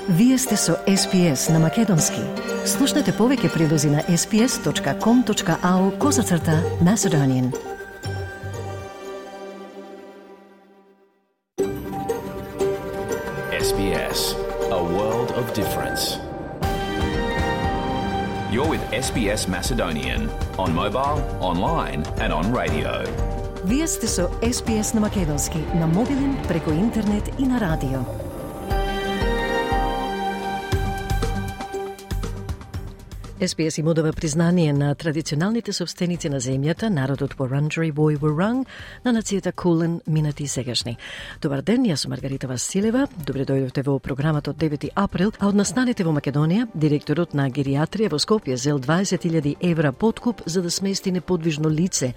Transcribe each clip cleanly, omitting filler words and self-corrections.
Вие сте со SPS на Македонски. Слушнете повеќе прилози на sps.com.au/Macedonian. SBS, a world of difference. You're with SBS Macedonian on mobile, online and on radio. Вие сте со SPS на Македонски на мобилен, преку интернет и на радио. SPS им одава признание на традиционалните собственици на земјата, народот Wurundjeri Woi Wurrung, на нацијата Кулен, минати и сегашни. Добар ден, јас сум Маргарита Василева. Добре дојдовте во програмата од 9 април, а од настаните во Македонија, директорот на гериатрија во Скопје зел 20.000 евра подкуп за да смести неподвижно лице.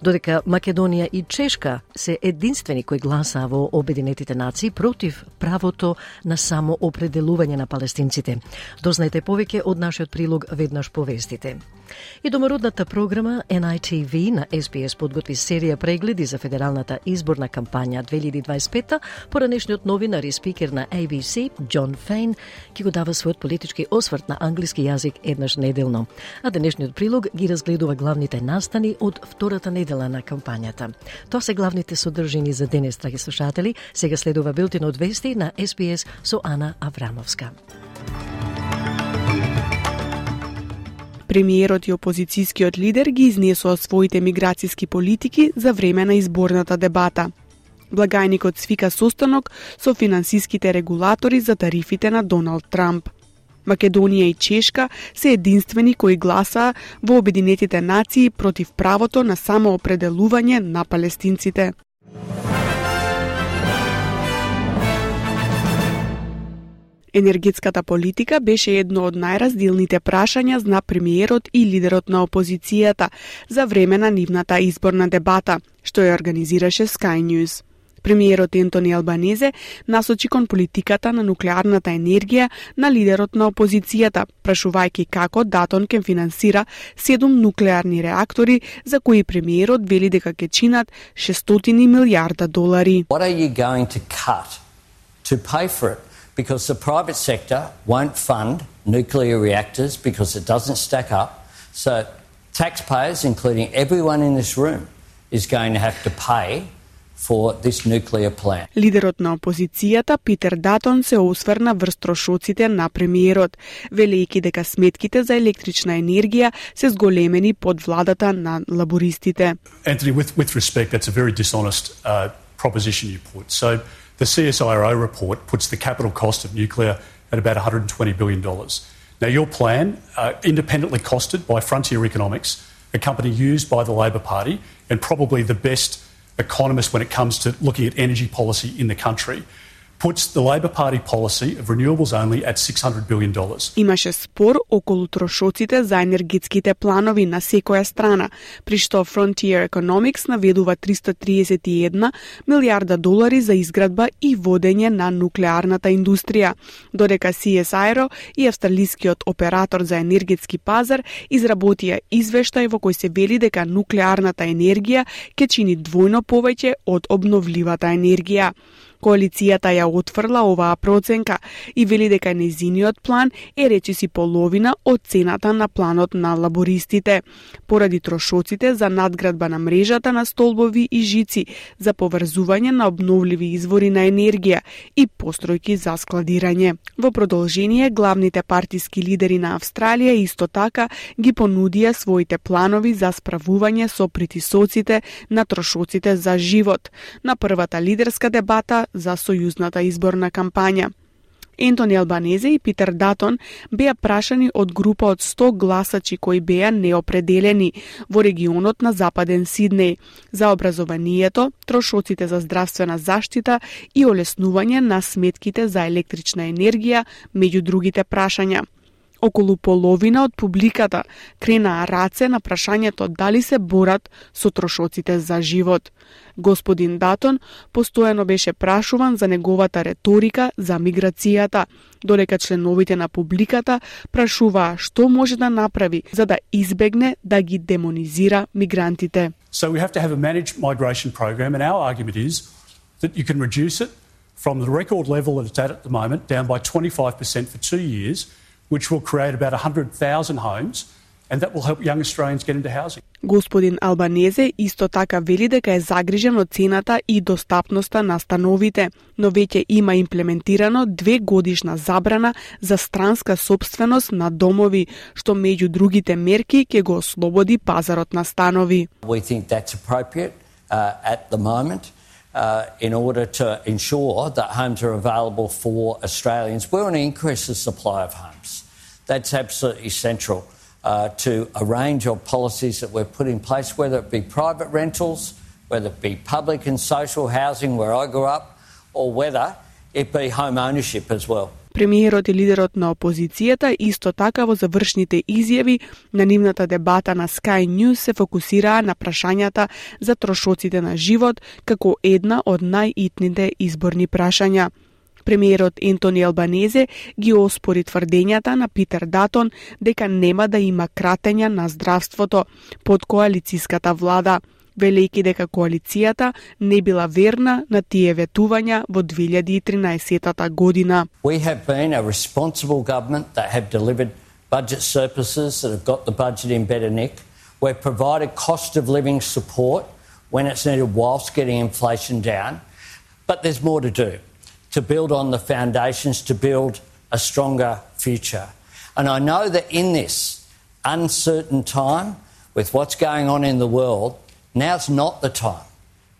Додека Македонија и Чешка се единствени кои гласаа во Обединетите нации против правото на самоопределување на палестинците. Дознајте повеќе од нашиот прилог веднаш повестите. И домородната програма NITV на SBS подготви серија прегледи за федералната изборна кампања 2025. Поранешниот новинар и спикер на ABC, Џон Фейн, ќе го дава својот политички осврт на англиски јазик еднаш неделно. А денешниот прилог ги разгледува главните настани од втората недела на кампањата. Тоа се главните содржини за денес, драги слушатели. Сега следува билтин од вести на SBS со Ана Аврамовска. Премиерот и опозицијскиот лидер ги изнесоа своите миграцијски политики за време на изборната дебата. Благајникот свика состанок со финансиските регулатори за тарифите на Доналд Трамп. Македонија и Чешка се единствени кои гласаа во Обединетите нации против правото на самоопределување на палестинците. Енергетската политика беше едно од најразделните прашања на премиерот и лидерот на опозицијата за време на нивната изборна дебата, што ја организираше Sky News. Премиерот Ентони Албанезе насочи кон политиката на нуклеарната енергија на лидерот на опозицијата, прашувајќи како Датон ќе финансира 7 нуклеарни реактори за кои премиерот вели дека ќе чинат $600 милиарда. What are you going to cut to pay for it? Because the private sector won't fund nuclear reactors because it doesn't stack up. So taxpayers, including everyone in this room, is going to have to pay for this nuclear plant. Лидерот на опозицијата Питер Датон се осврна врз трошоците на премиерот, велејќи дека сметките за електрична енергија се зголемени под владата на лабористите. Anthony, with respect, that's a very dishonest proposition you put. So the CSIRO report puts the capital cost of nuclear at about $120 billion. Now, your plan, independently costed by Frontier Economics, a company used by the Labor Party and probably the best economist when it comes to looking at energy policy in the country, puts the Labor Party policy of renewables only at $600 billion. Имаше спор околу трошоците за енергетските планови на секоја страна, при што Frontier Economics наведува $331 милиарда за изградба и водење на нуклеарната индустрија, додека CSIRO и австралискиот оператор за енергетски пазар изработија извештај во кој се вели дека нуклеарната енергија ќе чини двојно повеќе од обновливата енергија. Коалицијата ја отфрла оваа проценка и вели дека нејзиниот план е речиси половина од цената на планот на лабористите, поради трошоците за надградба на мрежата на столбови и жици за поврзување на обновливи извори на енергија и постројки за складирање. Во продолжение, главните партиски лидери на Австралија исто така ги понудија своите планови за справување со притисоците на трошоците за живот на првата лидерска дебата за сојузната изборна кампања. Ентони Албанезе и Питер Датон беа прашани од група од 100 гласачи кои беа неопределени во регионот на Западен Сиднеј за образованието, трошоците за здравствена заштита и олеснување на сметките за електрична енергија, меѓу другите прашања. Околу половина од публиката кренаа раце на прашањето дали се борат со трошоците за живот. Господин Датон постојано беше прашуван за неговата реторика за миграцијата, додека членовите на публиката прашуваа што може да направи за да избегне да ги демонизира мигрантите. So we have to have a managed migration program, and our argument is that you can reduce it from the record level that it's at the moment, down by 25% for 2 years, which will create about 100,000 homes, and that will help young Australians get into housing. Господин Албанезе исто така вели дека е загрижен од цената и достапноста на становите, но веќе има имплементирано 2-годишна забрана за странска сопственост на домови, што меѓу другите мерки ќе го ослободи пазарот на станови. We think that's appropriate at the moment in order to ensure that homes are available for Australians. We want to increase the supply of homes. That's absolutely central to a range of policies that we've put in place, whether it be private rentals, whether it be public and social housing where I grew up, or whether it be home ownership as well. Премиерот и лидерот на опозицијата исто така во завршните изјави на нивната дебата на Sky News се фокусираа на прашањата за трошоците на живот како една од најитните изборни прашања. Премиерот Ентони Албанезе ги оспори тврдењата на Питер Датон дека нема да има кратења на здравството под коалицијската влада, велејќи дека коалицијата не била верна на тие ветувања во 2013 година. We have been a responsible government that have delivered budget surpluses that have got the budget in better nick. We've provided cost of living support when it's needed whilst getting inflation down. But there's more to do, to build on the foundations, to build a stronger future. And I know that in this uncertain time, with what's going on in the world, now's not the time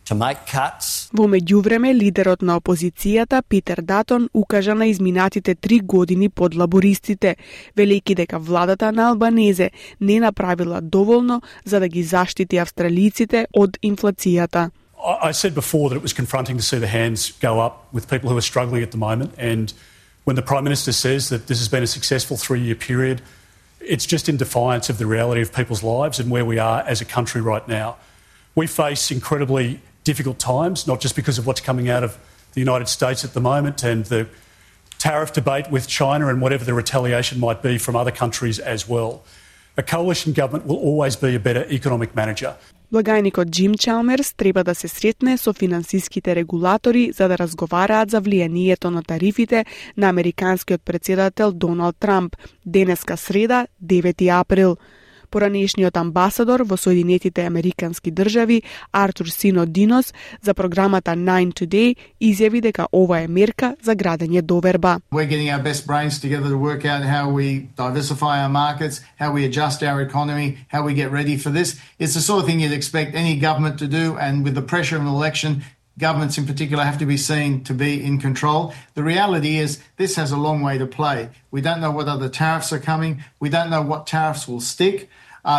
to make cuts. Во меѓувреме, лидерот на опозицијата Питер Датон укажа на изминатите 3 години под лабористите, велејќи дека владата на Албанезе не направила доволно за да ги заштити австралиците од инфлацијата. I said before that it was confronting to see the hands go up with people who are struggling at the moment, and when the Prime Minister says that this has been a successful 3-year period, it's just in defiance of the reality of people's lives and where we are as a country right now. We face incredibly difficult times, not just because of what's coming out of the United States at the moment and the tariff debate with China and whatever the retaliation might be from other countries as well. A coalition government will always be a better economic manager. Благајникот Джим Чалмерс треба да се сретне со финансиските регулатори за да разговараат за влијанието на тарифите на американскиот претседател Доналд Трамп денеска среда, 9 април. Поранешниот амбасадор во Соединетите Американски држави Артур Синодинос за програмата 9 Today изјави дека ова е мерка за градење доверба. We're getting our best brains together to work out how we diversify our markets, how we adjust our economy, how we get ready for this. It's the sort of thing you'd expect any government to do, and with the pressure of an election, governments in particular have to be seen to be in control. The reality is this has a long way to play. We don't know what other tariffs are coming. We don't know what tariffs will stick.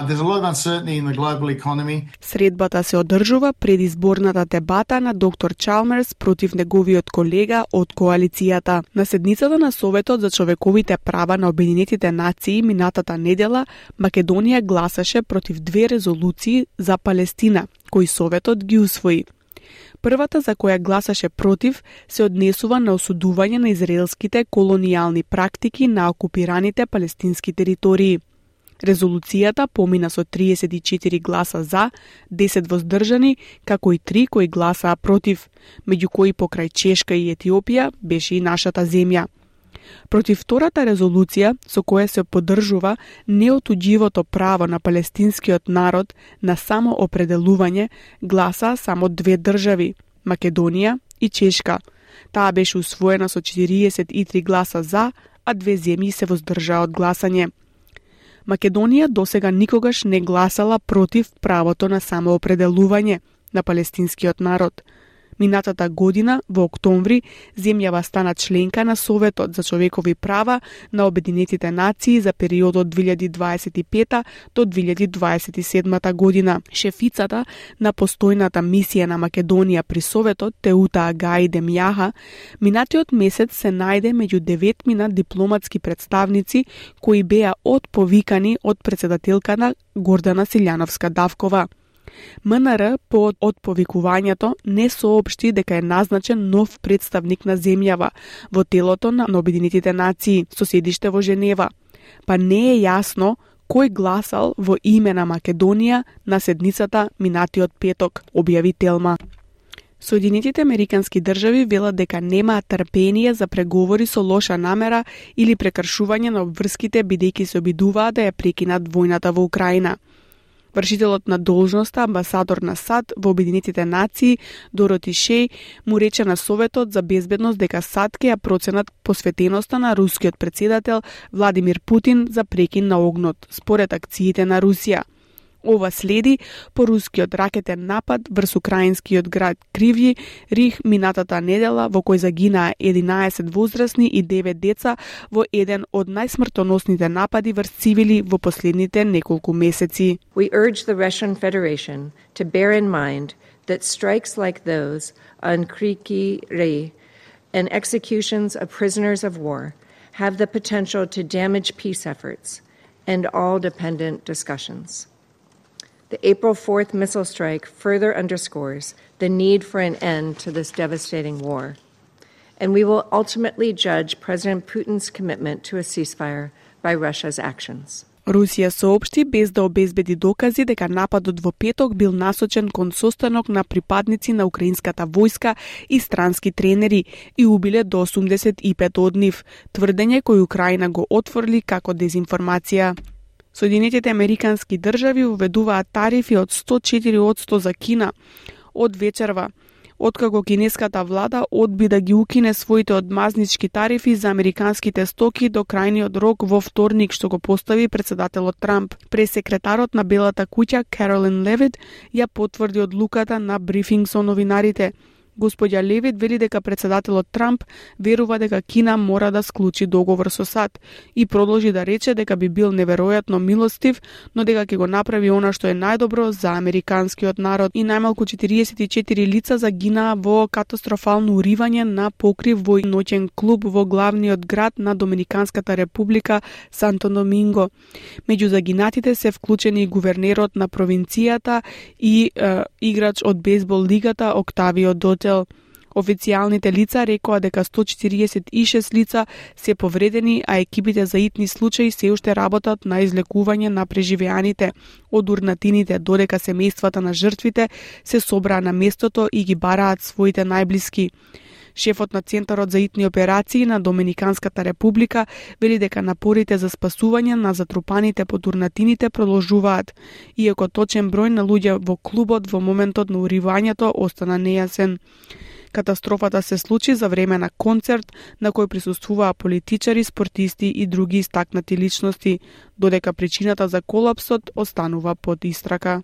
There's a lot of uncertainty in the global economy. Средбата се одржува пред изборната дебата на доктор Чалмерс против неговиот колега од коалицијата. На седницата на Советот за човековите права на Обединетите нации минатата недела, Македонија гласаше против 2 резолуции за Палестина, кои Советот ги усвои. Првата, за која гласаше против, се однесува на осудување на израелските колонијални практики на окупираните палестински територии. Резолуцијата помина со 34 гласа за, 10 воздржани, како и 3 кои гласаа против, меѓу кои покрај Чешка и Етиопија беше и нашата земја. Против втората резолуција, со која се поддржува неотуѓивото право на палестинскиот народ на самоопределување, гласаа само 2 држави, Македонија и Чешка. Таа беше усвоена со 43 гласа за, а 2 земји се воздржаа од гласање. Македонија досега никогаш не гласала против правото на самоопределување на палестинскиот народ. Минатата година, во октомври, земјава стана членка на Советот за човекови права на Обединетите нации за периодот 2025 до 2027 година. Шефицата на постојната мисија на Македонија при Советот, Теута Агаи Демјаха, минатиот месец се најде меѓу 9 дипломатски представници кои беа отповикани од претседателката Гордана Силјановска-Давкова. МНР по отповикувањето не соопшти дека е назначен нов представник на земјава во телото на Обединетите нации со седиште во Женева, па не е јасно кој гласал во име на Македонија на седницата минатиот петок, објави Телма. Соединетите Американски држави велат дека немаат трпение за преговори со лоша намера или прекршување на обврските, бидејќи се обидуваат да ја прекинат војната во Украина. Вршителот на должноста, амбасадор на САД во Обединетите нации, Дороти Шеј, му рече на Советот за безбедност дека САД ќе ја проценат посветеноста на рускиот председател Владимир Путин за прекин на огнот, според акциите на Русија. Ова следи по рускиот ракетен напад врз украинскиот град Кривји Риг минатата недела, во кој загинаа 11 возрастни и 9 деца во еден од најсмртоносните напади врз цивили во последните неколку месеци. We urge the Russian Federation to bear in mind that strikes like those on Kryvyi Rih and executions of prisoners of war have the potential to damage peace efforts and all dependent discussions. The April 4th missile strike further underscores the need for an end to this devastating war, and we will ultimately judge President Putin's commitment to a ceasefire by Russia's actions. Русија соопшти без да обезбеди докази дека нападот во петок бил насочен кон состанок на припадници на украинската војска и странски тренери и убиле до 85 од нив, тврдење кој Украина го отфрли како дезинформација. Соединетите Американски држави уведуваат тарифи од 104% за Кина од вечерва, откако кинеската влада одби да ги укине своите одмазнички тарифи за американските стоки до крајниот рок во вторник, што го постави председателот Трамп. Пресекретарот на Белата куќа Каролин Левит ја потврди одлуката на брифинг со новинарите. Господја Левит вели дека председателот Трамп верува дека Кина мора да склучи договор со САД и продолжи да рече дека би бил неверојатно милостив, но дека ќе го направи она што е најдобро за американскиот народ. И најмалку 44 лица загинаа во катастрофално уривање на покрив во ноќен клуб во главниот град на Доминиканската република Санто Доминго. Меѓу загинатите се вклучени и гувернерот на провинцијата и играч од бейсбол лигата Октавио Дотел. Официјалните лица рекоа дека 146 лица се повредени, а екипите за итни случаи се уште работат на излекување на преживеаните од урнатините, додека семејствата на жртвите се собраа на местото и ги бараат своите најблиски. Шефот на Центарот за итни операции на Доминиканската република вели дека напорите за спасување на затрупаните под урнатините продолжуваат, иако точен број на луѓе во клубот во моментот на уривањето остана нејасен. Катастрофата се случи за време на концерт на кој присуствуваа политичари, спортисти и други истакнати личности, додека причината за колапсот останува под истрака.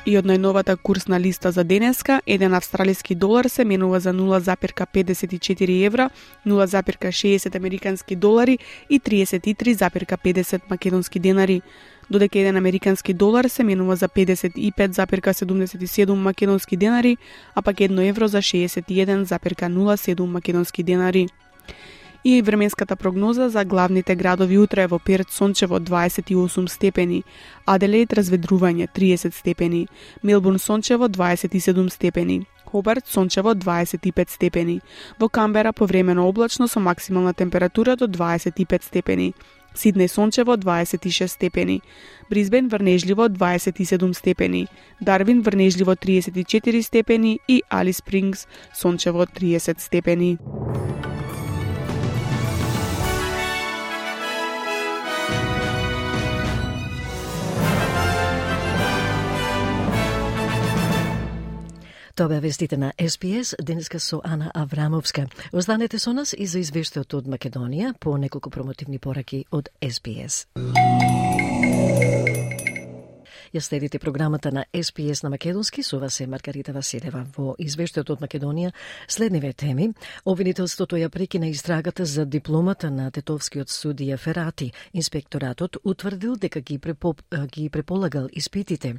И од најновата курсна листа за денеска, еден австралиски долар се менува за 0,54 евра, 0,60 американски долари и 33,50 македонски денари, додека еден американски долар се менува за 55,77 македонски денари, а пак 1 евро за 61,07 македонски денари. И временската прогноза за главните градови утре: во Перт сончево 28 степени, Аделаид разведрување 30 степени, Мелбурн сончево 27 степени, Хобарт сончево 25 степени, во Камбера повремено облачно со максимална температура до 25 степени, Сиднеј сончево 26 степени, Брисбен врнежливо 27 степени, Дарвин врнежливо 34 степени и Алис Спрингс сончево 30 степени. Тоа беа вестите на СПС, денеска со Ана Аврамовска. Останете со нас и за извештајот од Македонија по неколку промотивни пораки од СПС. Ја следите програмата на СПС на македонски, со вас е Маргарита Василева. Во извештајот од Македонија следниве теми: обвинителството ја прекина истрагата за дипломата на тетовскиот судија Ферати. Инспекторатот утврдил дека ги преполагал испитите.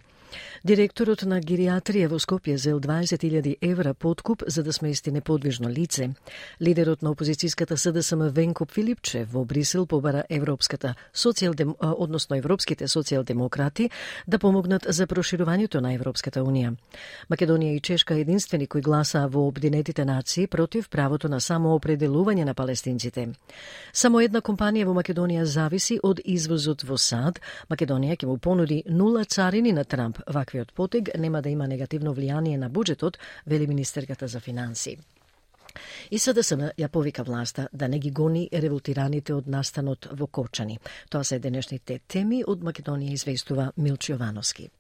Директорот на гериатрија во Скопје зел 20.000 евра подкуп за да смести неподвижно лице. Лидерот на опозицијската СДСМ Венко Филипче во Брисел побара европските социјалдемократи да помогнат за проширувањето на Европската унија. Македонија и Чешка единствени кои гласаа во Обединетите нации против правото на самоопределување на палестинците. Само една компанија во Македонија зависи од извозот во САД. Македонија ќе му понуди 0 царини на Трамп. Ваквиот потег нема да има негативно влијание на буџетот, вели министерката за финансии. И СДСМ ја повика власта да не ги гони револтираните од настанот во Корчани. Тоа се денешните теми од Македонија, известува Милчо Јовановски.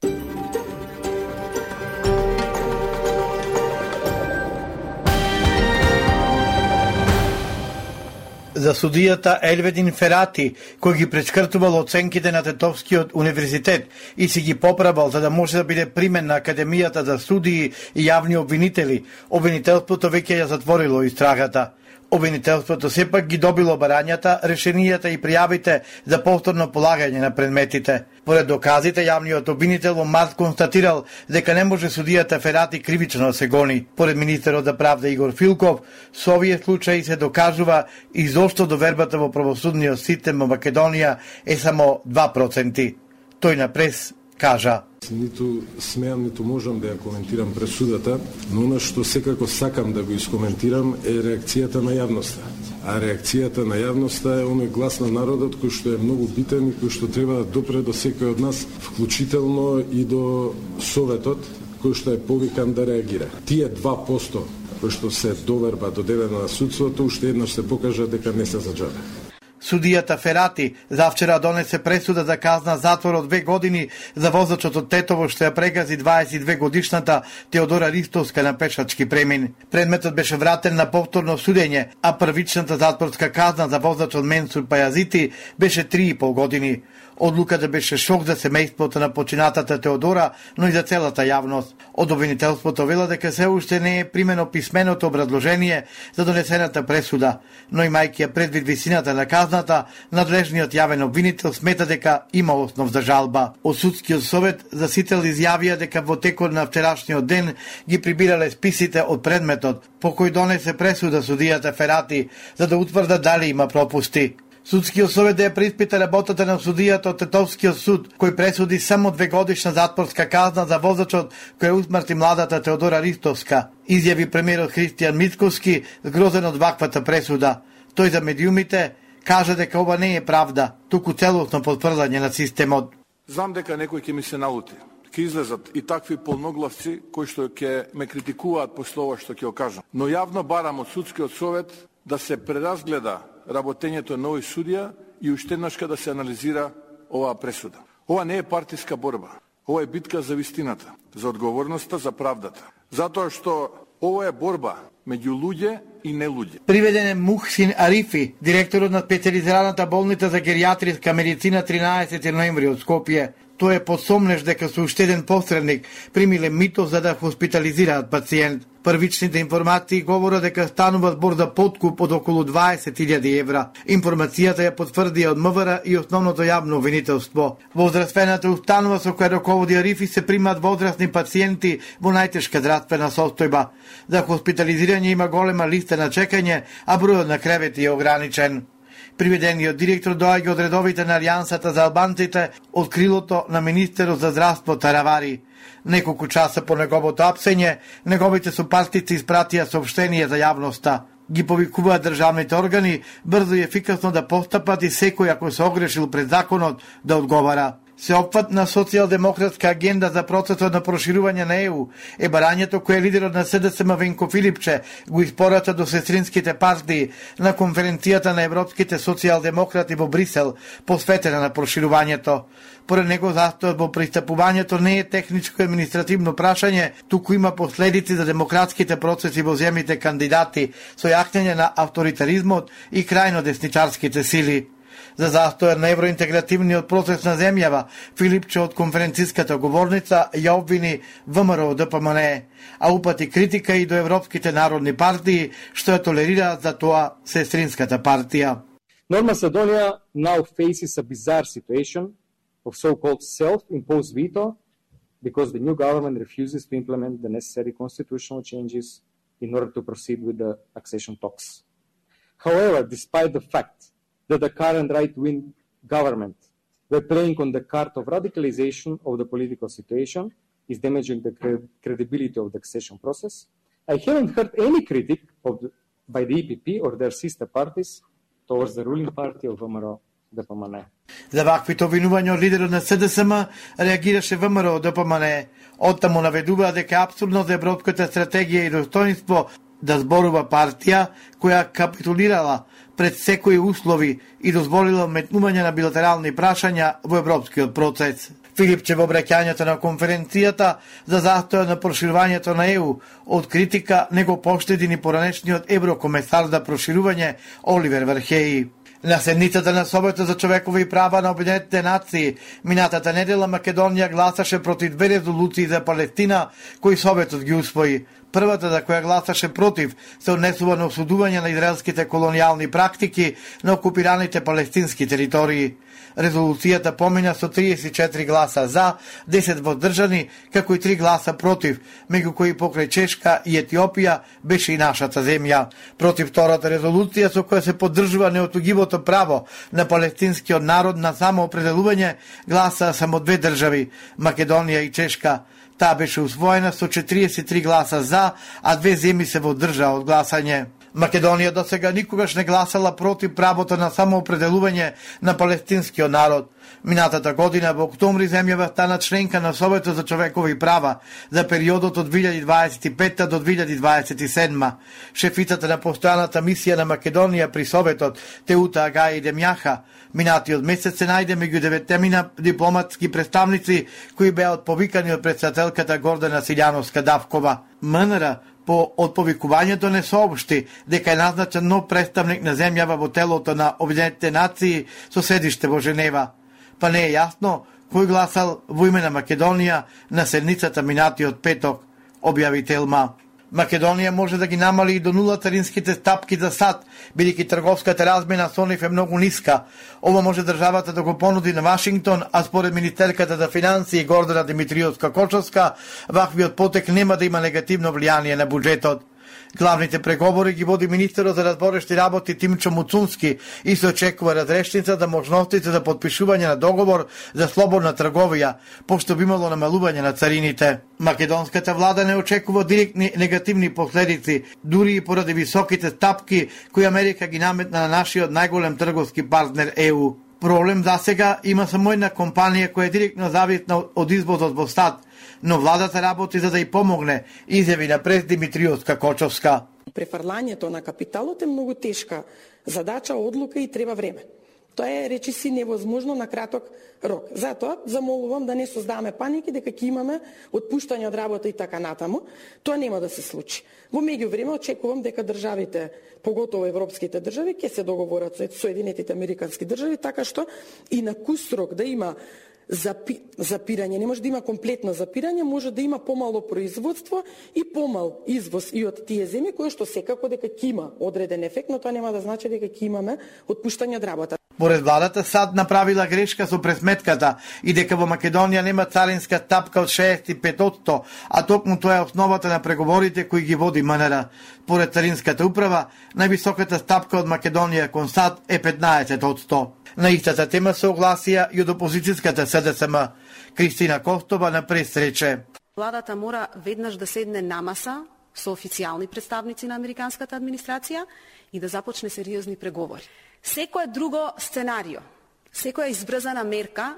За судијата Елведин Ферати, кој ги прескртувал оценките на Тетовскиот универзитет и си ги поправал за да може да биде примен на Академијата за судии и јавни обвинители, обвинителството веќе ја затворило истрагата. Обвинителството сепак ги добило барањата, решенијата и пријавите за повторно полагање на предметите. Поред доказите, јавниот обвинител во март констатирал дека не може судијата Ферати кривично да се гони. Поред министерот за правда Игор Филков, со овие случаи се докажува и зошто довербата во правосудниот систем во Македонија е само 2%. Тој на прес кажа: Ниту смеам, ниту можам да ја коментирам пресудата, но она што секако сакам да го искоментирам е реакцијата на јавноста. А реакцијата на јавноста е оној глас на народот кој што е многу битен и кој што треба да допре до секој од нас, вклучително и до Советот, кој што е повикан да реагира. Тие 2% кои што се доверба додадена на судството, уште еднаш се покажа дека не се за џабе. Судијата Ферати завчера донесе пресуда за казна затвор од 2 години за возачот од Тетово што ја прегази 22 годишната Теодора Ристовска на пешачки премин. Предметот беше вратен на повторно судење, а првичната затворска казна за возачот Менсур Пајазити беше 3,5 години. Одлуката беше шок за семејството на починатата Теодора, но и за целата јавност. Од обвинителството вела дека се уште не е примено писменото образложение за донесената пресуда, но имајќи ја предвид висината на казната, надлежниот јавен обвинител смета дека има основ за жалба. Од судскиот совет засител изјавија дека во текот на вчерашниот ден ги прибирале списите од предметот по кој донесе пресуда судијата Ферати за да утврдат дали има пропусти. Судскиот совет да ја преиспита работата на судијата од Тетовскиот суд, кој пресуди само 2 годишна затворска казна за возачот кој усмрти младата Теодора Ристовска, изјави премиерот Христијан Мицковски, згрозен од ваквата пресуда. Тој за медиумите кажа дека ова не е правда, туку целосно потврдање на системот. Знам дека некој ќе ми се налути. Ќе излезат и такви полноглавци кои што ќе ме критикуваат после ова што ќе кажам. Но јавно барам од судскиот совет да се преразгледа работењето на овој судија и уште еднашка да се анализира оваа пресуда. Ова не е партиска борба. Ова е битка за вистината, за одговорноста, за правдата. Затоа што ова е борба меѓу луѓе и не луѓе. Приведен е Мухсин Арифи, директорот на специализираната болница за геријатриска медицина 13 ноември од Скопје. Тој е посомнеш дека со уште еден посредник примиле мито за да хоспитализираат пациент. Првичните информации говорат дека станува збор за подкуп од околу 20.000 евра. Информацијата ја потврдија од МВР и основното јавно обвинителство. Во здравствената установа со која раководи Арифи се примаат возрастни пациенти во најтешка здравствена состојба. За хоспитализирање има голема листа на чекање, а бројот на кревети е ограничен. Приведениот директор доаѓа од редовите на Алијансата за албанците од крилото на министерот за здравство Таравари. Неколку часа по неговото апсење, неговите сопартици испратија соопштение за јавноста. Ги повикуваат државните органи брзо и ефикасно да постапат и секој ако се огрешил пред законот да одговара. Сеопфатна социјалдемократска агенда за процесот на проширување на ЕУ е барањето кое лидерот на СДСМ Венко Филипче го испорача до сестринските партии на конференцијата на европските социјалдемократи во Брисел, посветена на проширувањето. Поред него застојот во пристапувањето не е техничко административно прашање, туку има последици за демократските процеси во земјите кандидати со јакнење на авторитаризмот и крајно десничарските сили. За застојот на евроинтегративниот процес на земјава, Филипче од конференциската говорница ја обвини ВМРО ДПМН, а упати критика и до европските народни партии, што ја толерираат за тоа сестринската партија. North Macedonia now faces a bizarre situation of so-called self-imposed veto because the new government refuses to implement the necessary constitutional changes in order to proceed with the accession talks. However, despite the fact that the current right-wing government were playing on the card of radicalization of the political situation, is damaging the credibility of the accession process, I haven't heard any critic by the EPP or their sister parties towards the ruling party of ВМРО-ДПМНЕ. За ваквите обвинувања од лидерот на СДСМ реагираше ВМРО-ДПМНЕ. Оттаму наведува дека е апсурдно за европската стратегија и достоинство да зборува партија која капитулирала пред секои услови и дозволила метнување на билатерални прашања во европскиот процес. Филипче во обраќањето на конференцијата за застојот на проширувањето на ЕУ од критика не го поштеди ни поранешниот еврокомесар за проширување Оливер Вархеи. На седницата на Советот за човекови права на Обединетите нации минатата недела Македонија гласаше против 2 резолуции за Палестина кои Советот ги усвои. Првата за која гласаше против се однесува на осудување на израелските колонијални практики на окупираните палестински територии. Резолуцијата помина со 34 гласа за, 10 воздржани, како и 3 гласа против, меѓу кои покрај Чешка и Етиопија беше и нашата земја. Против втората резолуција со која се поддржува неотугивото право на палестинскиот народ на самоопределување гласа само 2 држави, Македонија и Чешка. Таа беше усвоена со 43 гласа за, а 2 земји се воздржаа од гласање. Македонија до сега никогаш не гласала против правото на самоопределување на палестинскиот народ. Минатата година во октомври земјава стана членка на Советот за човекови права за периодот од 2025 до 2027. Шефицата на постојаната мисија на Македонија при Советот, Теута Агаи Демјаха, минатиот месец се најде меѓу 9 дипломатски представници кои беа отповикани од председателката Гордана Силјановска-Давкова. МНР по отповикувањето не соопшти дека е назначен нов представник на земјава во телото на Обединетите нации со седиште во Женева. Па не е јасно кој гласал во име на Македонија на седницата минатиот петок, објави Телма. Македонија може да ги намали и до нула царинските стапки за сад, бидејќи трговската размена со нив е многу ниска. Ова може државата да го понуди на Вашингтон, а според министерката за финансии Гордана Димитриевска-Кочовска, ваквиот потек нема да има негативно влијание на буџетот. Главните преговори ги води министерот за разборешти работи Тимчо Муцунски и се очекува разрешница за можностите за подпишување на договор за слободна трговија, пошто би имало намалување на царините. Македонската влада не очекува директни негативни последици, дури и поради високите стапки кои Америка ги наметна на нашиот најголем трговски партнер ЕУ. Проблем засега има само една компанија која е директно зависна од извозот во САД, но владата работи за да ја помогне, изјави на прес Димитриевска-Кочовска. Префрлањето на капиталот е многу тешка задача, одлука и треба време. Тоа е речиси невозможно на краток рок. Затоа замолувам да не создаваме паники дека ќе имаме отпуштање од работа и така натаму. Тоа нема да се случи. Во меѓувреме очекувам дека државите, поготово европските држави, ќе се договорат со Соединетите американски држави, така што и на кусрок да има запирање, не може да има комплетно запирање, може да има помало производство и помал извоз и од тие земји, кои што секако дека ќе има одреден ефект, но тоа нема да значи дека ќе имаме отпуштање од работа. Поред владата САД направила грешка со пресметката и дека во Македонија нема царинска стапка од 65%, а токму тоа е основата на преговорите кои ги води МНР. Поред царинската управа, највисоката стапка од Македонија кон САД е 15%. На истата тема се огласија и од опозицијската СДСМ. Кристина Костова на прес рече: Владата мора веднаш да седне на маса со официјални представници на американската администрација и да започне сериозни преговори. Секое друго сценарио, секоја избрзана мерка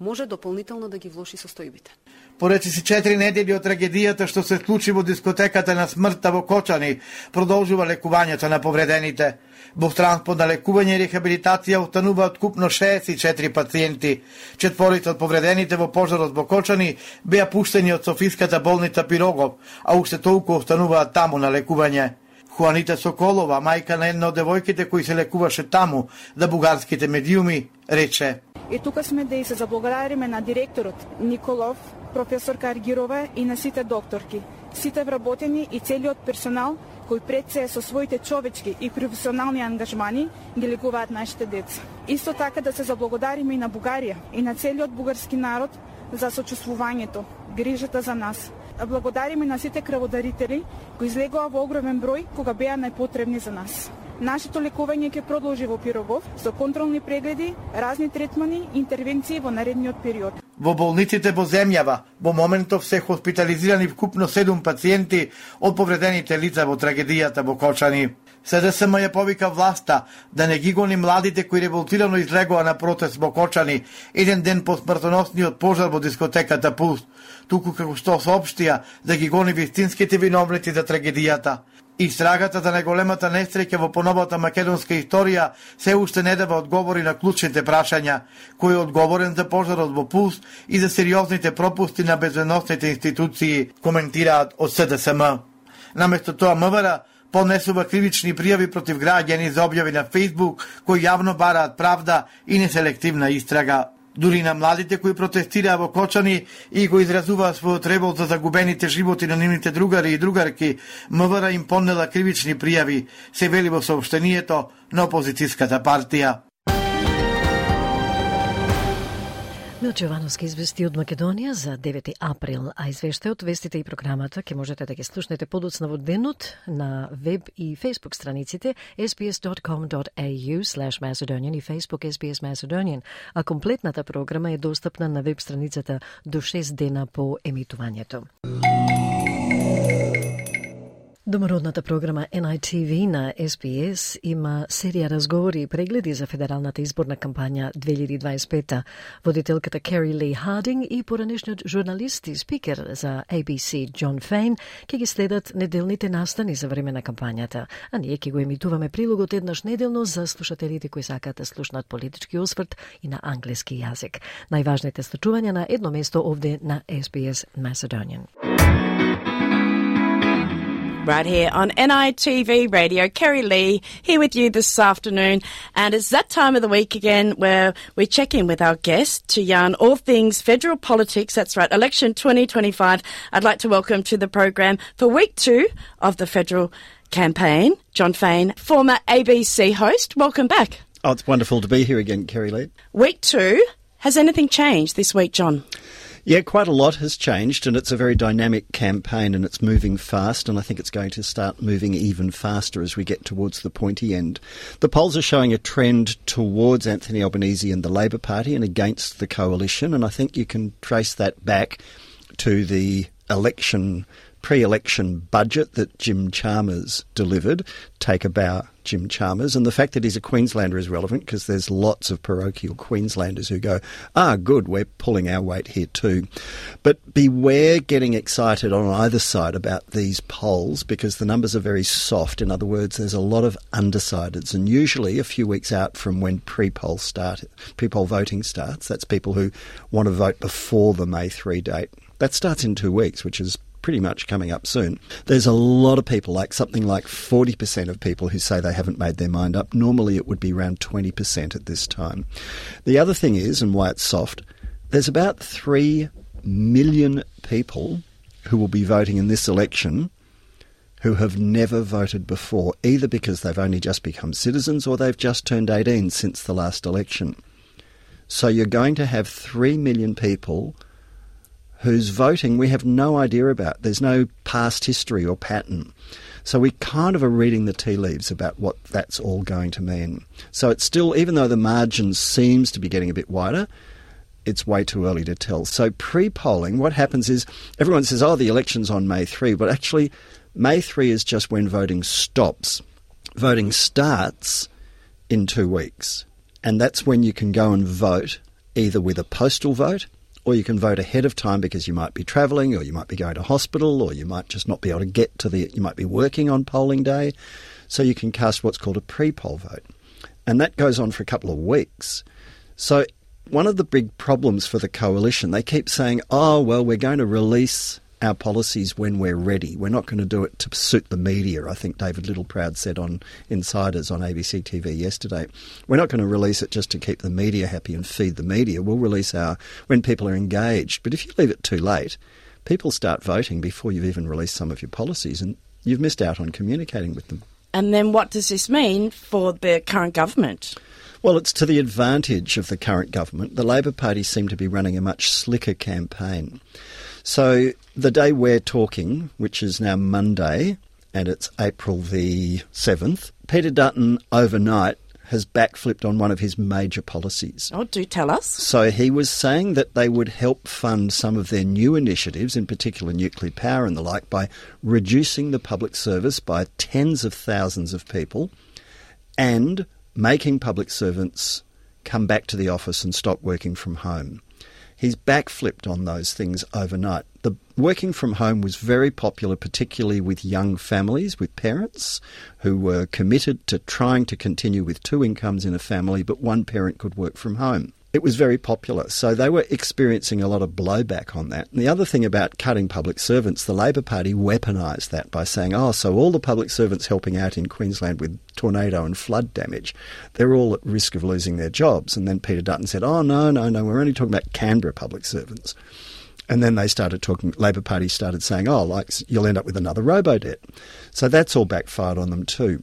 може дополнително да ги влоши состојбите. Поречи се 4 недели од трагедијата што се случи во дискотеката на смртта во Кочани, продолжува лекувањето на повредените. Во транспорт на лекување и рехабилитација остануваат купно 64 пациенти. 4 од повредените во пожарот во Кочани беа пуштени од Софиската болница Пирогов, а уште толку остануваат таму на лекување. Хуанита Соколова, мајка на една од девојките кои се лекуваше таму, за бугарските медиуми, рече: И тука сме да и се заблагодариме на директорот Николов, професорка Аргирова и на сите докторки, сите вработени и целиот персонал кои пред се со своите човечки и професионални ангажмани ги лекуваат нашите деца. Исто така да се заблагодариме и на Бугарија и на целиот бугарски народ за сочувствувањето, грижата за нас. Благодариме на сите крводарители кои излегоа во огромен број кога беа најпотребни за нас. Нашето лекување ќе продолжи во Пирогов со контролни прегледи, разни третмани и интервенции во наредниот период. Во болниците во земјава во моментов се хоспитализирани вкупно 7 пациенти од повредените лица во трагедијата во Кочани. СДСМ ја повика власта да не ги гони младите кои револтирано излегоа на протест во Кочани еден ден по смртоносниот пожар во дискотеката Пулс, туку како што соопштија да ги гони вистинските виновници за трагедијата. Истрагата за најголемата несреќа во поновата македонска историја се уште не дава одговори на клучните прашања, кој е одговорен за пожарот во Пулс и за сериозните пропусти на безбедносните институции, коментираат од СДСМ. Наместо тоа МВР поднесува кривични пријави против граѓани за објави на Фејсбук кои јавно бараат правда и неселективна истрага. Дури на младите кои протестираа во Кочани и го изразуваа својот револт за загубените животи на нивните другари и другарки, МВР им поднела кривични пријави, се вели во соопштението на опозицијската партија. Милче Јовановски извести од Македонија за 9 април, а извештајот, вестите и програмата ќе можете да ги слушнете подоцна во денот на веб и Facebook страниците sbs.com.au/Macedonian и Facebook SBS Macedonian, а комплетната програма е достапна на веб страницата до 6 дена по емитувањето. Домородната програма NITV на SBS има серија разговори и прегледи за федералната изборна кампања 2025. Водителката Кери Ли Хардинг и поранешниот журналист и спикер за ABC Џон Фейн ќе ги следат неделните настани за време на кампањата, а ние ќе го емитуваме прилогот еднаш неделно за слушателите кои сакаат да слушнат политички осврт и на англиски јазик. Најважните случувања на едно место овде на SBS Macedonian. Right here on NITV Radio, Kerry Lee here with you this afternoon, and it's that time of the week again where we check in with our guest to yarn all things federal politics. That's right, election 2025. I'd like to welcome to the program for week 2 of the federal campaign, Jon Faine, former ABC host. Welcome back. Oh, it's wonderful to be here again, Kerry Lee. Week 2. Has anything changed this week, John? Yeah, quite a lot has changed, and it's a very dynamic campaign, and it's moving fast, and I think it's going to start moving even faster as we get towards the pointy end. The polls are showing a trend towards Anthony Albanese and the Labor Party and against the coalition, and I think you can trace that back to the pre-election budget that Jim Chalmers delivered. Take a bow, Jim Chalmers. And the fact that he's a Queenslander is relevant because there's lots of parochial Queenslanders who go, good, we're pulling our weight here too. But beware getting excited on either side about these polls because the numbers are very soft. In other words, there's a lot of undecideds, and usually a few weeks out from when pre-poll voting starts, that's people who want to vote before the May 3 date. That starts in 2 weeks, which is pretty much coming up soon. There's a lot of people, something like 40% of people who say they haven't made their mind up. Normally it would be around 20% at this time. The other thing is, and why it's soft, there's about 3 million people who will be voting in this election who have never voted before, either because they've only just become citizens or they've just turned 18 since the last election. So you're going to have 3 million people whose voting we have no idea about. There's no past history or pattern. So we kind of are reading the tea leaves about what that's all going to mean. So it's still, even though the margin seems to be getting a bit wider, it's way too early to tell. So pre-polling, what happens is everyone says, the election's on May 3, but actually May 3 is just when voting stops. Voting starts in 2 weeks. And that's when you can go and vote either with a postal vote, or you can vote ahead of time because you might be travelling, or you might be going to hospital, or you might just not be able to get to you might be working on polling day. So you can cast what's called a pre-poll vote. And that goes on for a couple of weeks. So one of the big problems for the coalition, they keep saying, we're going to release our policies when we're ready. We're not going to do it to suit the media, I think David Littleproud said on Insiders on ABC TV yesterday. We're not going to release it just to keep the media happy and feed the media. We'll release when people are engaged. But if you leave it too late, people start voting before you've even released some of your policies, and you've missed out on communicating with them. And then what does this mean for the current government? Well, it's to the advantage of the current government. The Labor Party seem to be running a much slicker campaign. So the day we're talking, which is now Monday, and it's April the 7th, Peter Dutton overnight has backflipped on one of his major policies. Oh, do tell us. So he was saying that they would help fund some of their new initiatives, in particular nuclear power and the like, by reducing the public service by tens of thousands of people and making public servants come back to the office and stop working from home. He's backflipped on those things overnight. The working from home was very popular, particularly with young families, with parents who were committed to trying to continue with two incomes in a family, but one parent could work from home. It was very popular, so they were experiencing a lot of blowback on that. And the other thing about cutting public servants, the Labor Party weaponised that by saying, so all the public servants helping out in Queensland with tornado and flood damage, they're all at risk of losing their jobs. And then Peter Dutton said, no, we're only talking about Canberra public servants. And then they started talking, Labor Party started saying, you'll end up with another robo-debt. So that's all backfired on them too.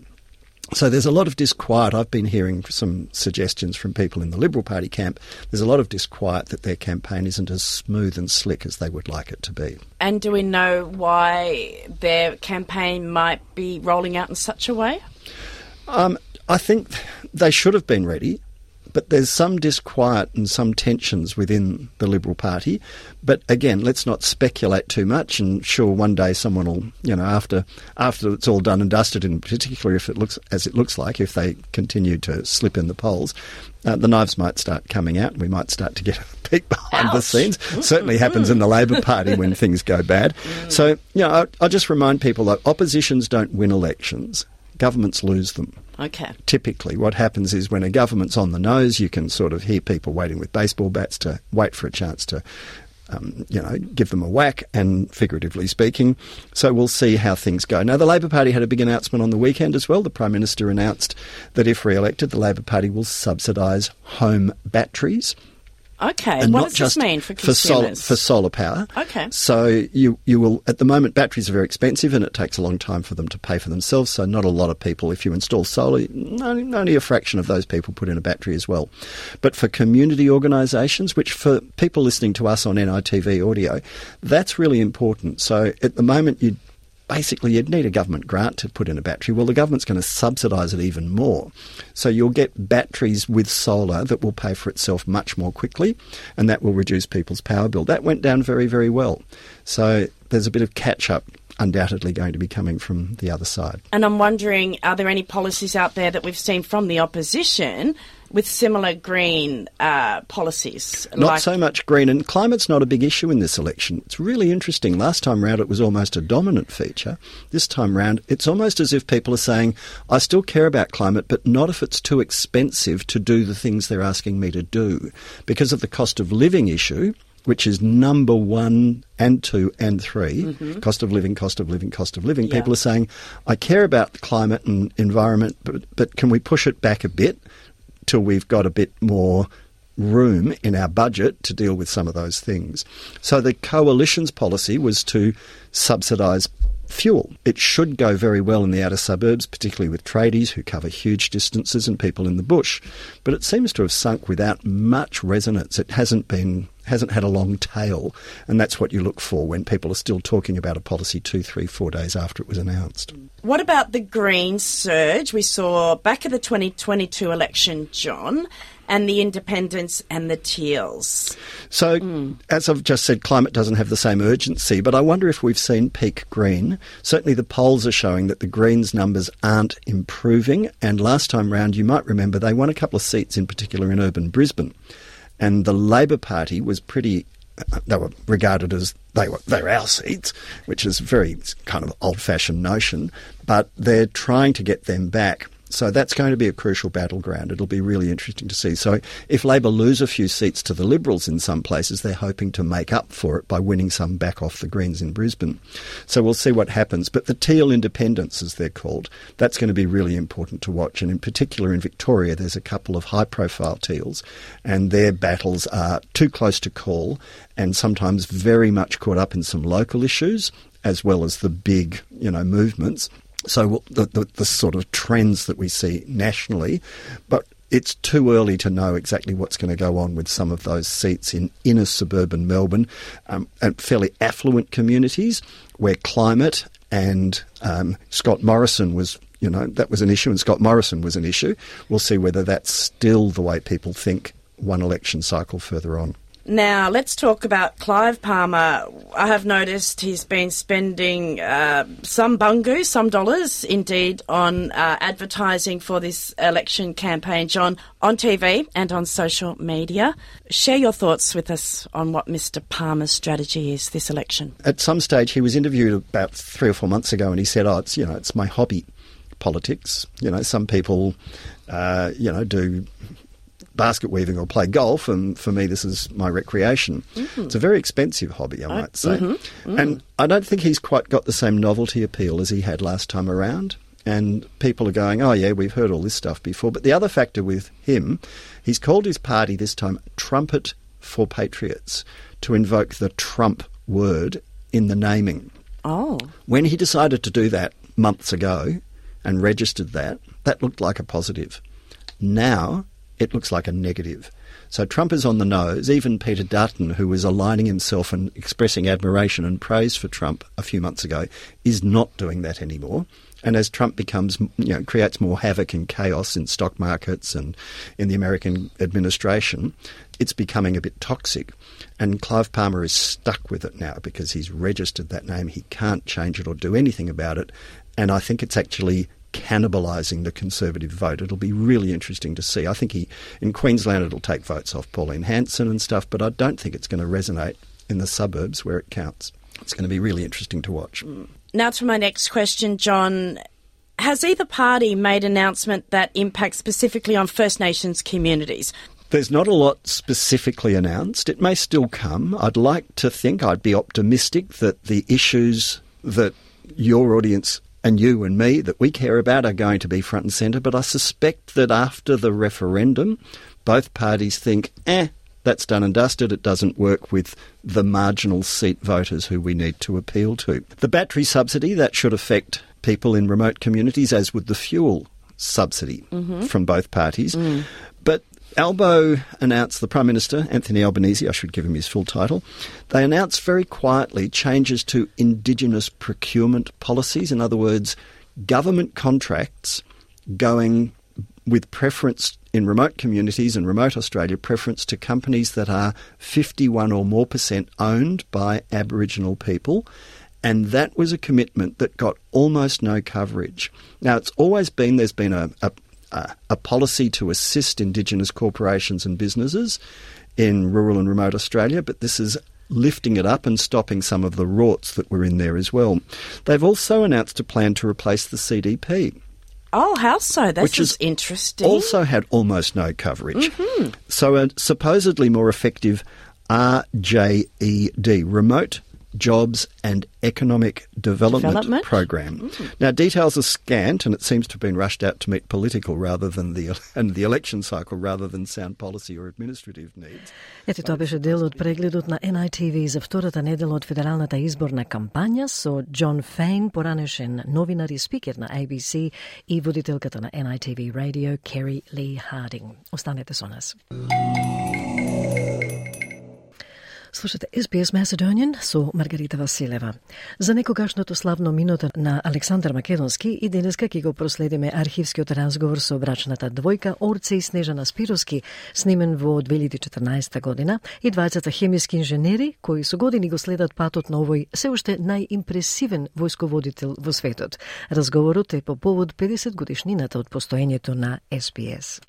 So there's a lot of disquiet. I've been hearing some suggestions from people in the Liberal Party camp. There's a lot of disquiet that their campaign isn't as smooth and slick as they would like it to be. And do we know why their campaign might be rolling out in such a way? I think they should have been ready. But there's some disquiet and some tensions within the Liberal Party. But again, let's not speculate too much. And sure, one day someone will, after it's all done and dusted, in particular if it looks as it looks like, if they continue to slip in the polls, the knives might start coming out and we might start to get a peek behind the scenes. Certainly happens in the Labor Party when things go bad. So, I'll just remind people that oppositions don't win elections. Governments lose them. Okay. Typically, what happens is when a government's on the nose, you can sort of hear people waiting with baseball bats to wait for a chance to, give them a whack, and figuratively speaking. So we'll see how things go. Now, the Labor Party had a big announcement on the weekend as well. The Prime Minister announced that if re-elected, the Labor Party will subsidise home batteries. Okay, and what does this mean for consumers? For solar power. Okay. So you will, at the moment, batteries are very expensive and it takes a long time for them to pay for themselves, so not a lot of people, if you install solar, only a fraction of those people put in a battery as well. But for community organisations, which for people listening to us on NITV audio, that's really important. So at the moment, you'd need a government grant to put in a battery. Well, the government's going to subsidise it even more. So you'll get batteries with solar that will pay for itself much more quickly, and that will reduce people's power bill. That went down very, very well. So there's a bit of catch-up undoubtedly going to be coming from the other side. And I'm wondering, are there any policies out there that we've seen from the opposition with similar green policies? Not so much green, and climate's not a big issue in this election. It's really interesting. Last time round it was almost a dominant feature. This time round it's almost as if people are saying, I still care about climate, but not if it's too expensive to do the things they're asking me to do. Because of the cost of living issue, which is number 1 and 2 and 3, cost of living. Yeah. People are saying, I care about the climate and environment, but can we push it back a bit till we've got a bit more room in our budget to deal with some of those things. So the coalition's policy was to subsidise fuel. It should go very well in the outer suburbs, particularly with tradies who cover huge distances and people in the bush. But it seems to have sunk without much resonance. It hasn't had a long tail, and that's what you look for when people are still talking about a policy 2, 3, 4 days after it was announced. What about the green surge we saw back at the 2022 election, John, and the independents and the Teals? So, as I've just said, climate doesn't have the same urgency, but I wonder if we've seen peak green. Certainly the polls are showing that the Greens' numbers aren't improving, and last time round, you might remember, they won a couple of seats, in particular in urban Brisbane. And the Labor Party was they were regarded as they're our seats, which is a very kind of old-fashioned notion, but they're trying to get them back. So that's going to be a crucial battleground. It'll be really interesting to see. So if Labor lose a few seats to the Liberals in some places, they're hoping to make up for it by winning some back off the Greens in Brisbane. So we'll see what happens. But the Teal independents, as they're called, that's going to be really important to watch. And in particular in Victoria, there's a couple of high-profile Teals, and their battles are too close to call and sometimes very much caught up in some local issues as well as the big, movements. So the sort of trends that we see nationally, but it's too early to know exactly what's going to go on with some of those seats in inner suburban Melbourne and fairly affluent communities where climate and Scott Morrison was, that was an issue, and Scott Morrison was an issue. We'll see whether that's still the way people think one election cycle further on. Now, let's talk about Clive Palmer. I have noticed he's been spending some bungu, some dollars, indeed, on advertising for this election campaign, John, on TV and on social media. Share your thoughts with us on what Mr Palmer's strategy is this election. At some stage, he was interviewed about 3 or 4 months ago, and he said, it's my hobby, politics. Some people, do basket weaving or play golf, and for me this is my recreation. It's a very expensive hobby, I might say. And I don't think he's quite got the same novelty appeal as he had last time around, and people are going, oh yeah, we've heard all this stuff before. But the other factor with him, he's called his party this time Trumpet for Patriots, to invoke the Trump word in the naming. Oh. When he decided to do that months ago and registered that looked like a positive. Now it looks like a negative. So Trump is on the nose. Even Peter Dutton, who was aligning himself and expressing admiration and praise for Trump a few months ago, is not doing that anymore. And as Trump becomes, creates more havoc and chaos in stock markets and in the American administration, it's becoming a bit toxic. And Clive Palmer is stuck with it now because he's registered that name. He can't change it or do anything about it. And I think it's actually cannibalising the Conservative vote. It'll be really interesting to see. I think in Queensland it'll take votes off Pauline Hanson and stuff, but I don't think it's going to resonate in the suburbs where it counts. It's going to be really interesting to watch. Now to my next question, John. Has either party made an announcement that impacts specifically on First Nations communities? There's not a lot specifically announced. It may still come. I'd like to think, I'd be optimistic that the issues that your audience and you and me that we care about are going to be front and centre, but I suspect that after the referendum, both parties think, that's done and dusted, it doesn't work with the marginal seat voters who we need to appeal to. The battery subsidy, that should affect people in remote communities, as would the fuel subsidy from both parties. But Albo announced, the Prime Minister, Anthony Albanese, I should give him his full title, they announced very quietly changes to Indigenous procurement policies. In other words, government contracts going with preference in remote communities and remote Australia, preference to companies that are 51 or more % owned by Aboriginal people. And that was a commitment that got almost no coverage. Now, it's always been, there's been a policy to assist Indigenous corporations and businesses in rural and remote Australia, but this is lifting it up and stopping some of the rorts that were in there as well. They've also announced a plan to replace the CDP. Oh, how so? This is interesting. Also had almost no coverage. So a supposedly more effective RJED, Remote Jobs and Economic Development Program. Now, details are scant, and it seems to have been rushed out to meet political rather than the election cycle rather than sound policy or administrative needs. Ето тоа беше дел од прегледот на NITV за втората недела од федералната изборна кампања со Джон Фейн, поранешен новинар и спикер на ABC и водителката на NITV Radio Kerry Lee Harding. Останете со нас. Слушате SBS Macedonian со Маргарита Василева. За некогашното славно минуто на Александар Македонски и денеска ќе го проследиме архивскиот разговор со брачната двојка Орце и Снежана Спировски, снимен во 2014 година, и двајцата хемиски инженери кои со години го следат патот на овој се уште најимпресивен војсководител во светот. Разговорот е по повод 50 годишнината од постоењето на SBS.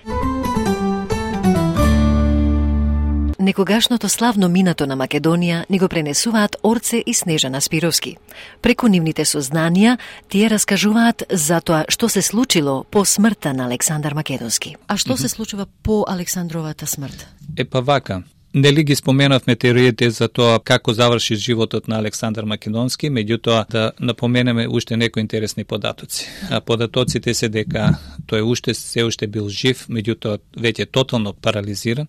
Некогашното славно минато на Македонија ни го пренесуваат Орце и Снежана Спировски. Преку нивните сознанија, тие раскажуваат за тоа што се случило по смртта на Александар Македонски. А што се случува по Александровата смрт? Вака. Нели ги споменавме теориите за тоа како заврши животот на Александар Македонски, меѓутоа да напоменеме уште некои интересни податоци. А податоците се дека тој се уште бил жив, меѓутоа веќе тотално парализиран.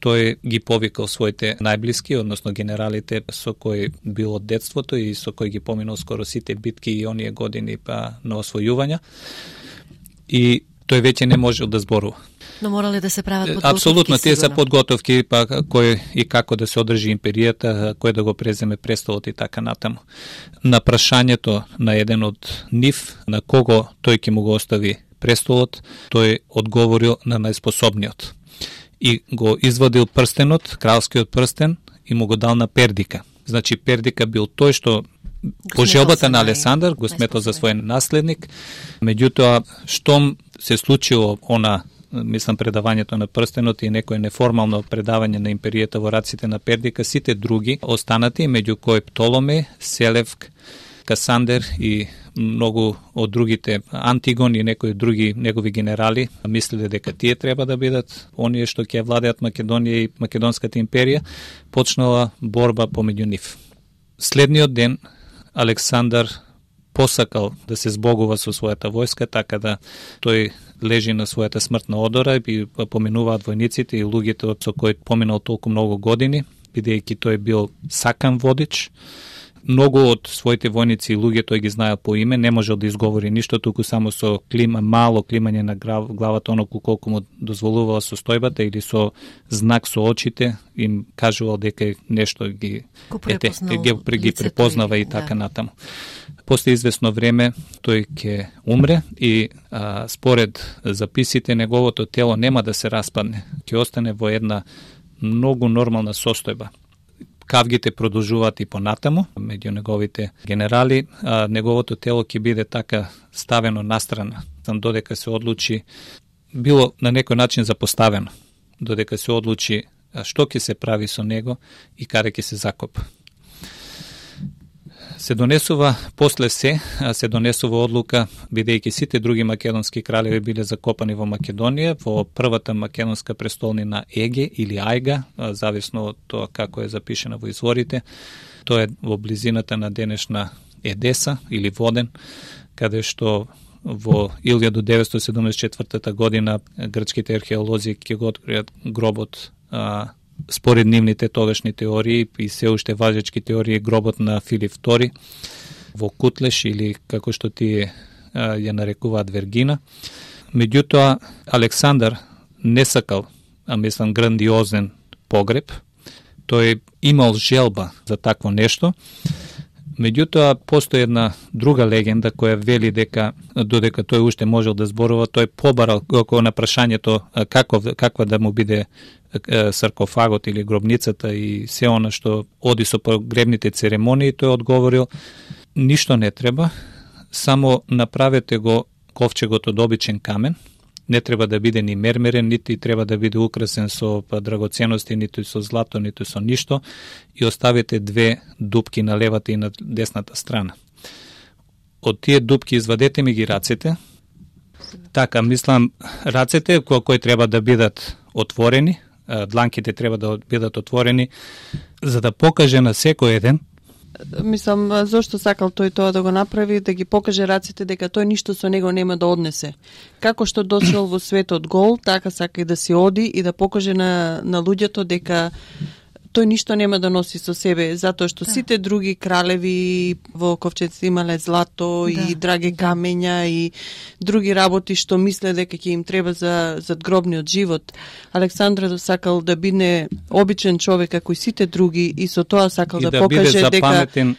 тој ги повикал своите најблиски, односно генералите со кои бил од детството и со кои ги поминал скоро сите битки и оние години на освојувања. И тој веќе не можел да зборува. Но морале да се прават подготовки. Апсолутно, тие се подготовки, кој и како да се одржи империјата, кој да го преземе престолот и така натаму. На прашањето на еден од нив, на кого тој ќе му го остави престолот, тој одговорил на најспособниот. И го извадил прстенот, кралскиот прстен, и му го дал на Пердика. Значи, Пердика бил тој што по желбата на Алесандар го сметал за свој наследник. Меѓутоа, штом се случило мислам, предавањето на прстенот и некое неформално предавање на империјата во раците на Пердика, сите други останати, меѓу кои Птоломе, Селевк, Касандер и многу од другите, Антигон и некои други негови генерали, мислеле дека тие треба да бидат оние што ќе владеат Македонија и Македонската империја, почнала борба помеѓу нив. Следниот ден Александар посакал да се збогува со својата војска, така да тој лежи на својата смртна одора и поминуваат војниците и луѓето со кои поминал толку многу години, бидејќи тој бил сакан водич. Многу од своите војници и луѓе тој ги знаел по име, не можел да изговори ништо, туку само со мало климање на главата, оноку колку му дозволувала состојбата или со знак со очите, им кажувал дека нешто ги препознава и така натаму. После известно време тој ќе умре и според записите неговото тело нема да се распадне, ќе остане во една многу нормална состојба. Кавгите продолжуваат и понатаму меѓу неговите генерали, неговото тело ќе биде така ставено настрана, додека се одлучи, било на некој начин запоставено, додека се одлучи што ќе се прави со него и каде ќе се закопа. Се донесува одлука, бидејќи сите други македонски кралеви биле закопани во Македонија, во првата македонска престолнина Еге или Ајга, зависно од тоа како е запишено во изворите. Тоа е во близината на денешна Едеса или Воден, каде што во 1974 година грчките археолози ќе го откријат гробот според нивните тогашни теории и се уште важечки теории, гробот на Филип II во Кутлеш или како што тие ја нарекуваат Вергина. Меѓутоа, Александар не сакал, мислам, грандиозен погреб. Тој имал желба за такво нешто. Меѓутоа, постои една друга легенда која вели дека, додека тој уште можел да зборува, тој побарал на прашањето каква да му биде саркофагот или гробницата и се она што оди со погребните церемонии, тој одговорил: ништо не треба, само направете го ковчегот од обичен камен, не треба да биде ни мермерен, нити треба да биде украсен со драгоценности, ниту со злато, ниту со ништо, и оставите 2 дупки на левата и на десната страна. Од тие дупки извадете ми ги рацете. Така, мислам, рацете кои треба да бидат отворени, дланките треба да бидат отворени, за да покаже на секој еден. Мислам, зошто сакал тој тоа да го направи, да ги покаже раците дека тој ништо со него нема да однесе. Како што дошол во светот гол, така сака и да си оди и да покаже на луѓето дека тој ништо нема да носи со себе, затоа што сите други кралеви во ковчеците имале злато и драги камења и други работи што мисле дека ќе им треба за задгробниот живот. Александар сакал да биде обичен човек како и сите други и со тоа сакал да покаже дека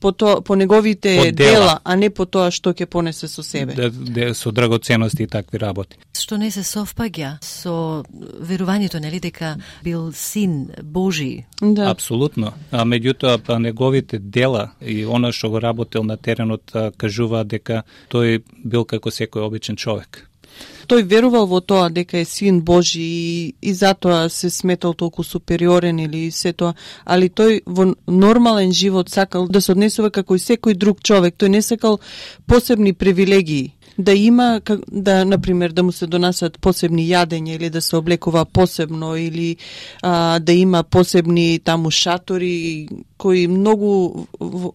по неговите дела, а не по тоа што ќе понесе со себе. Со драгоценности и такви работи. Што не се совпаѓа со верувањето, нели, дека бил син Божи. Да. Апсолутно. А меѓутоа неговите дела и она што го работел на теренот кажува дека тој бил како секој обичен човек. Тој верувал во тоа дека е син Божи и затоа се сметал толку супериорен или се тоа, али тој во нормален живот сакал да се однесува како и секој друг човек. Тој не сакал посебни привилегии. Да има, да, например, да му се донасат посебни јадења или да се облекува посебно или да има посебни таму шатори кои многу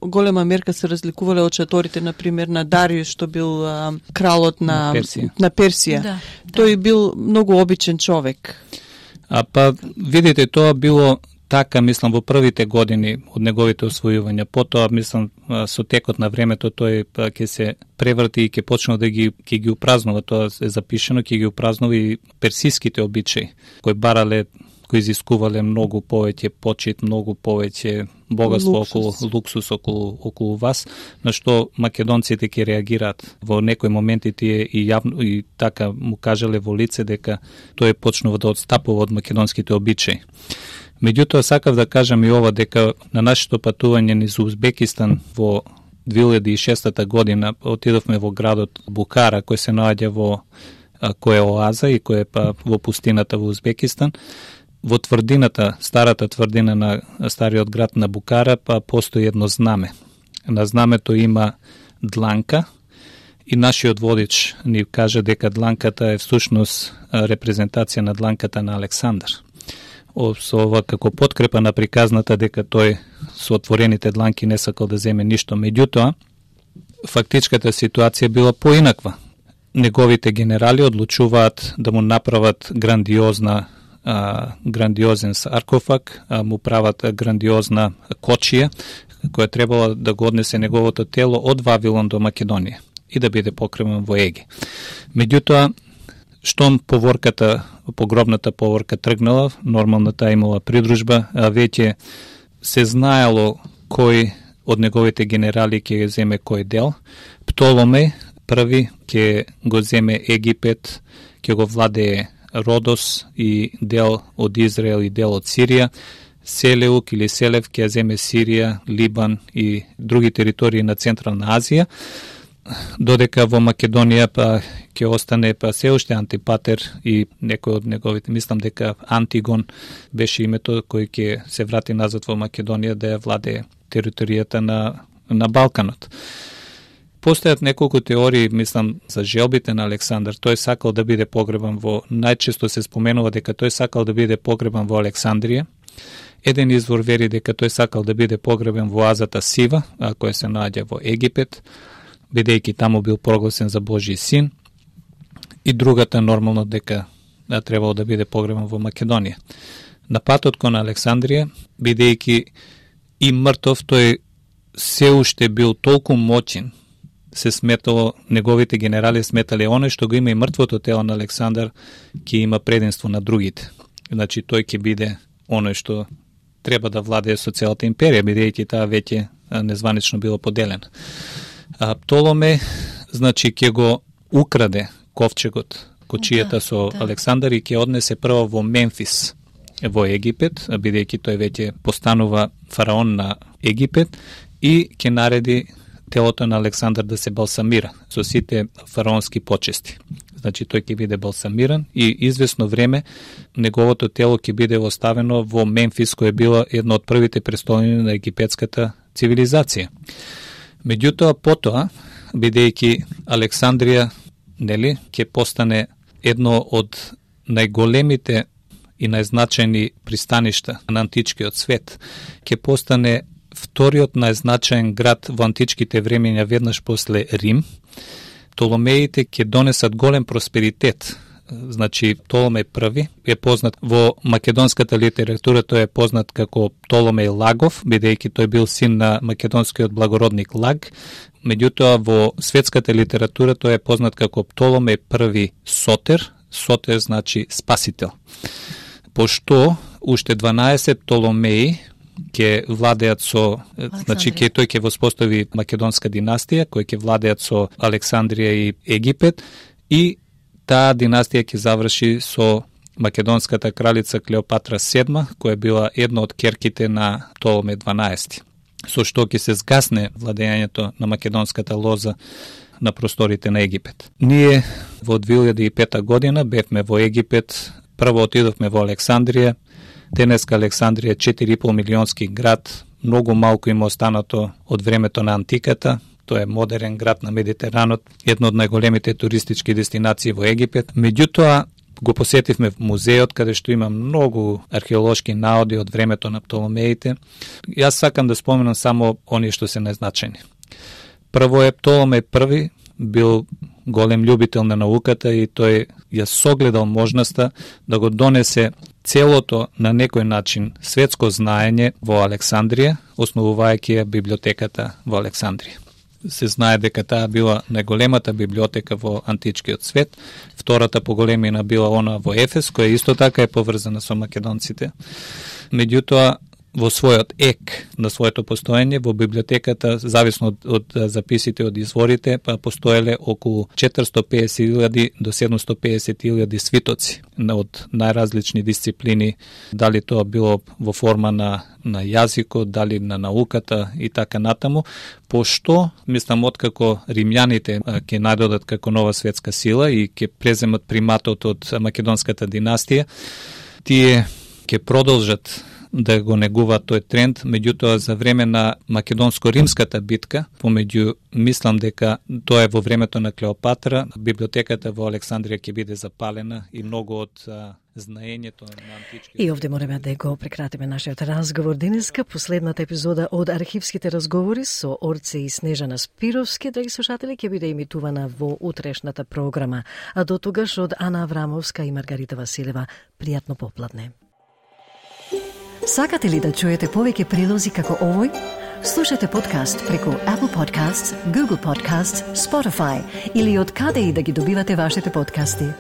голема мерка се разликувале од шаторите, например, на Дариус, што бил кралот на Персија. Да. Тој бил многу обичен човек. Па видите, тоа било така, мислам, во првите години од неговите освојувања. Потоа, мислам, со текот на времето тој ќе се преврти и ќе почне да ги упразнува, тоа е запишено, ќе ги упразнува и персиските обичаи, кои барале, кои изискувале многу повеќе почит, многу повеќе богатство, луксус околу вас, на што македонците ќе реагираат. Во некои моменти тие и јавно и така му кажале во лице дека тој почнува да одстапува од македонските обичаи. Меѓутоа, сакав да кажам и ова, дека на нашето патување низ Узбекистан во 2006 година отидовме во градот Букара, кој се наоѓа во кој е оаза и кој е во пустината во Узбекистан. Во тврдината, старата тврдина на стариот град на Букара, постои едно знаме. На знамето има дланка и нашиот водич ни каже дека дланката е всушност репрезентација на дланката на Александар. Со ова како подкрепа на приказната дека тој со отворените дланки не сакал да земе ништо. Меѓутоа, фактичката ситуација била поинаква. Неговите генерали одлучуваат да му направат грандиозен саркофаг, му прават грандиозна кочија, која требала да го однесе неговото тело од Вавилон до Македонија и да биде покреван во Еге. Меѓутоа, штом погробната поворка тргнала, нормално таа имала придружба, веќе се знаело кој од неговите генерали ќе земе кој дел. Птоломеј први ќе го земе Египет, ќе го владее Родос и дел од Израел и дел од Сирија. Селеук или Селев ќе земе Сирија, Либан и други територии на Централна Азија, додека во Македонија ќе остане се уште Антипатер и некој од неговите, мислам дека Антигон беше името кој ќе се врати назад во Македонија да ја владее територијата на Балканот. Постојат неколку теории, мислам, за желбите на Александар. Тој сакал да биде погребан најчесто се споменува дека тој сакал да биде погребан во Александрија. Еден извор вери дека тој сакал да биде погребен во оазата Сива, која се наоѓа во Египет, бидејќи таму бил прогласен за Божји син, и другата нормално дека требало да биде погребан во Македонија. На патот кон Александрија, бидејќи и мртов, тој се уште бил толку моќен, се сметало, неговите генерали сметале оној што го има и мртвото тело на Александар ќе има преденство на другите. Значи тој ќе биде оној што треба да владее со целата империја, бидејќи таа веќе незванично било поделена. Птоломе, значи, ќе го украде ковчегот, кочијата со Александар и ќе однесе прво во Мемфис, во Египет, бидејќи тој веќе постанува фараон на Египет, и ќе нареди телото на Александар да се балсамира со сите фараонски почести. Значи, тој ќе биде балсамиран и известно време неговото тело ќе биде оставено во Мемфис, кој е било едно од првите престолни на египетската цивилизација. Меѓутоа, потоа, бидејќи Александрија, ќе постане едно од најголемите и најзначајни пристаништа на античкиот свет, ќе постане вториот најзначаен град во античките времења веднаш после Рим, Птоломеите ќе донесат голем просперитет. Значи, Птоломеј први е познат во македонската литература, тој е познат како Птоломеј Лагов, бидејќи тој бил син на македонскиот благородник Лаг. Меѓутоа, во светската литература тој е познат како Птоломеј први Сотер. Сотер значи спасител. Пошто уште 12 Птоломеи ќе владеат со, значи тој ќе воспостави македонска династија, кој ќе владеат со Александрија и Египет, и таа династија ќе заврши со македонската кралица Клеопатра VII, која била една од керките на Птоломеј 12, со што ќе се згасне владењето на македонската лоза на просторите на Египет. Ние во 2005 година бевме во Египет, прво отидовме во Александрија. Денеска Александрија е 4,5 милионски град, многу малку има останато од времето на антиката. Тоа е модерен град на Медитеранот, едно од најголемите туристички дестинации во Египет. Меѓутоа, го посетивме музеот, каде што има многу археолошки наоди од времето на Птоломеите. Јас сакам да споменам само оние што се најзначајни. Прво е Птоломеј први, бил голем љубител на науката и тој ја согледал можноста да го донесе целото на некој начин светско знаење во Александрија, основувајќи ја библиотеката во Александрија. Се знае дека таа била најголемата библиотека во античкиот свет, втората по големина била она во Ефес, која исто така е поврзана со македонците. Меѓутоа, во својот ек на своето постоење, во библиотеката, зависно од записите од изворите, па постоеле околу 450.000 до 750.000 свитоци од најразлични дисциплини, дали тоа било во форма на јазикот, дали на науката и така натаму, пошто, мислам, откако римјаните ќе најдодат како нова светска сила и ќе преземат приматот од македонската династија, тие ќе продолжат да го негуваат тој тренд, меѓутоа за време на македонско-римската битка, помеѓу, мислам дека тоа е во времето на Клеопатра, библиотеката во Александрија ќе биде запалена и многу од знаењето на антички... И овде мореме да го прекратиме нашиот разговор денеска, последната епизода од архивските разговори со Орце и Снежана Спировски, драги слушатели, ќе биде емитувана во утрешната програма. А до тогаш од Ана Аврамовска и Маргарита Василева, пријатно попладне. Сакате ли да чуете повеќе прилози како овој? Слушате подкаст преку Apple Podcasts, Google Podcasts, Spotify или од каде и да ги добивате вашите подкасти.